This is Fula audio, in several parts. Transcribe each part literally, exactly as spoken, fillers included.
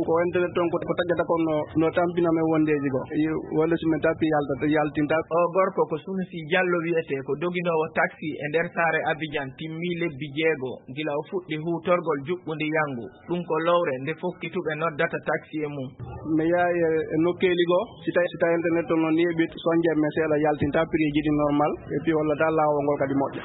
Ko internet toon ko, ko taƴata kon no, no tampina men wondeeji goo. Wonde so min tappi yalta, yaltinta. O gorko ko Sunusi Jallo wiyetee, ko doginoowo taxi e nder saare Abidjan, timmii lebbi jeego gila o fuɗɗi huutorgol juɓɓundi yanngu. Ɗum ko lowre nde fokkituɓe noddata taxi e mum. Mi yahay e, e nokkeeli goo, si tawi, si tawi internet toon no neeɓi, so njiyat mi seeɗa yaltinta, prix ji ɗi normal, et puis hollata laawol ngol kadi moƴƴa.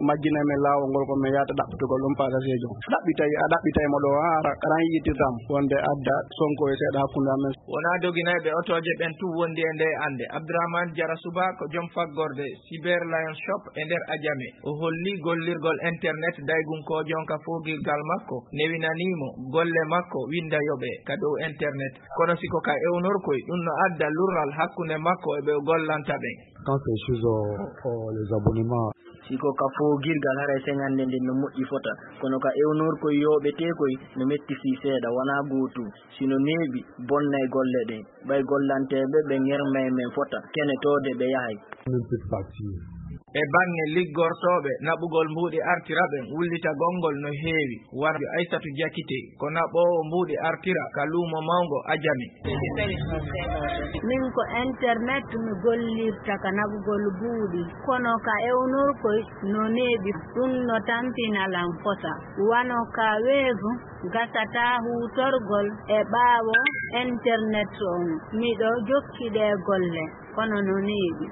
Majjinay men laawol ngol ko min yahata ɗaɓɓitugol ɗum pasaseejo. Ɗaɓɓitay, a ɗaɓɓitay mo ɗo, haa ara, ara yiitirtam wonde adda sonko e seeɗa hakkunde amen. Wonaa doginayɓe otooje ɓen tun wondi e ndee annde. Abdourahmane Diarra Souba ko joom faggorde Cyber Lion Shop e nder Adjamé. O holli gollirgol internet daygunkoojo on ka foogirgal makko, newinanii mo golle makko winnda yoɓee ka dow internet. Kono si ko ka ewnorkoy, ɗum no adda lurral hakkunde makko e ɓe o gollanta ɓen. Quand c'est chez, euh, euh, les abonnements. Si ko ka foogirgal, haray seŋannde nden no moƴƴi fota, kono ka ewnorkoy yooɓeteekoy no metti fii seeɗa, wonaa gootum. Si no neeɓi, bonnay golle ɗen. Ɓay gollanteeɓe ɓe ŋermay men fota, kenetoode ɓe yahay. Même cette partie. E baŋŋe liggortooɓe naɓugol mbuuɗi artira ɓen, wullitagol ngol no heewi. Wano Aysatu Jakite, ko naɓoowo mbuuɗi artira ka luumo mawngo Ajami. Min ko internet mi gollirta ka naɓugol buuɗi, kono ka ewnorkoy no neeɓi, ɗum no tampina lan fota. Wano ka weevu, gasataa huutorgol e ɓaawo internet on. Miɗo jokki ɗee golle, kono no neeɓi.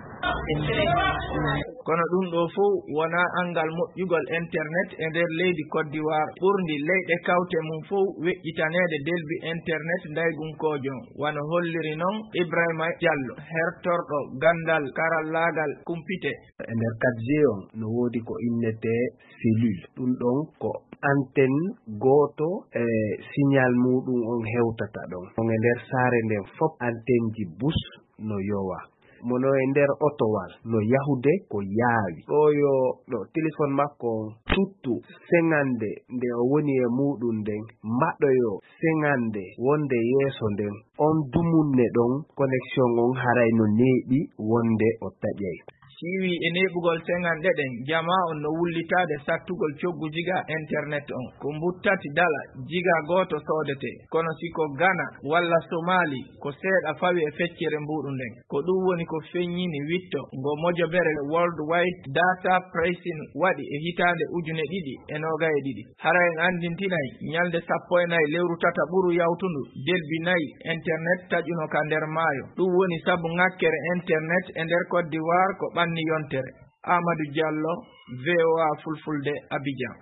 Kono ɗum ɗoo fow wonaa anngal moƴƴugol internet e nder leydi Côte d'Ivoire, ɓurndi leyɗe kawte mum fow weƴƴitaneede delbi internet ndaygunkoojo, wano holliri non Ibrahima Diallo, hertorɗo ganndal karallaagal kumpite. E nder quatre G on, no woodi ko innetee cellule. Ɗum ɗon ko antenne gooto e signal muuɗum on hewtata ɗon. On e nder saare nden fof, antenneji bus no yowa. Mono e nder otowal no yahude ko yaawi. Ɗo yo ɗo téléphone makko on tuttu seŋande nde o woni e muuɗum nden, mbaɗoyo seŋande wonde yeeso nden. On dumunne ɗon, connexion on haray no neeɓi wonde o taƴay. Siwi e neeɓugol seŋanɗe ɗen, jamaa on no wullitaade sattugol coggu jiga internet on. Ko mbuttati dala jiga gooto soodetee. Kono si ko Ghana walla Somali, ko seeɗa fawi e feccere mbuuɗu nden. Ko ɗum woni ko feññini witto ngo mojobere World Wide Data Pricing waɗi e hitaande ujune ɗiɗi e noogay e ɗiɗi. Hara en anndintinay, ñalnde sappo e nayi lewru tata ɓuru yawtundu, delbi nayi internet taƴuno ka nder maayo. Ɗum woni sabu ŋakkere internet e nder Côte d'Ivoire ko ɓanni yontere. Amadou Diallo, V O A Fulfulde, Abidjan.